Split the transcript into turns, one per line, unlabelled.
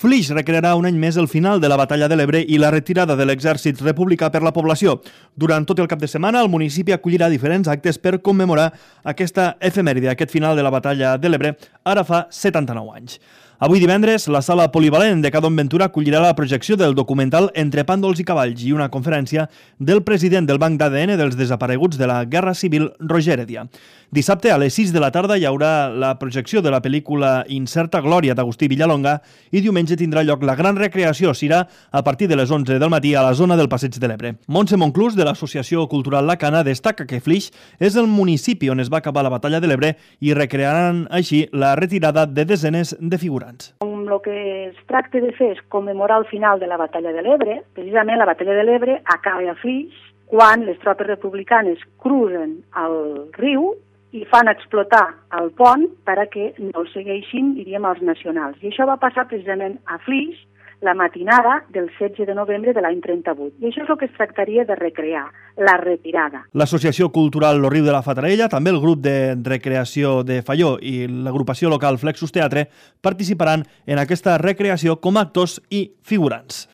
Flix recrearà un any més el final de la Batalla de l'Ebre i la retirada de l'exèrcit republicà per la població. Durant tot el cap de setmana, el municipi acollirà diferents actes per commemorar aquesta efemèride, aquest final de la Batalla de l'Ebre, ara fa 79 anys. Avui divendres, la sala polivalent de Cadon Ventura acollirà la projecció del documental Entre pàndols i cavalls i una conferència del president del Banc d'ADN dels desapareguts de la Guerra Civil, Roger Heredia. Dissabte, a les 6 de la tarda, hi haurà la projecció de la pel·lícula Incerta Glòria d'Agustí Villalonga i diumenge tindrà lloc la gran recreació. Serà a partir de les 11 del matí a la zona del Passeig de l'Ebre. Montse Monclús, de l'Associació Cultural La Cana, destaca que Flix és el municipi on es va acabar la Batalla de l'Ebre i recrearan així la retirada de desenes de figurants.
El que es tracta de fer és commemorar el final de la Batalla de l'Ebre. Precisament la Batalla de l'Ebre acaba a Flix quan les tropes republicanes cruzen el riu i fan explotar el pont perquè no el segueixin, diríem, els nacionals. I això va passar precisament a Flix la matinada del 16 de novembre de l'any 38. I això és el que es tractaria de recrear, la retirada.
L'Associació Cultural Lo Riu de la Fatarella, també el grup de recreació de Falló i l'agrupació local Flexus Teatre participaran en aquesta recreació com a actors i figurants.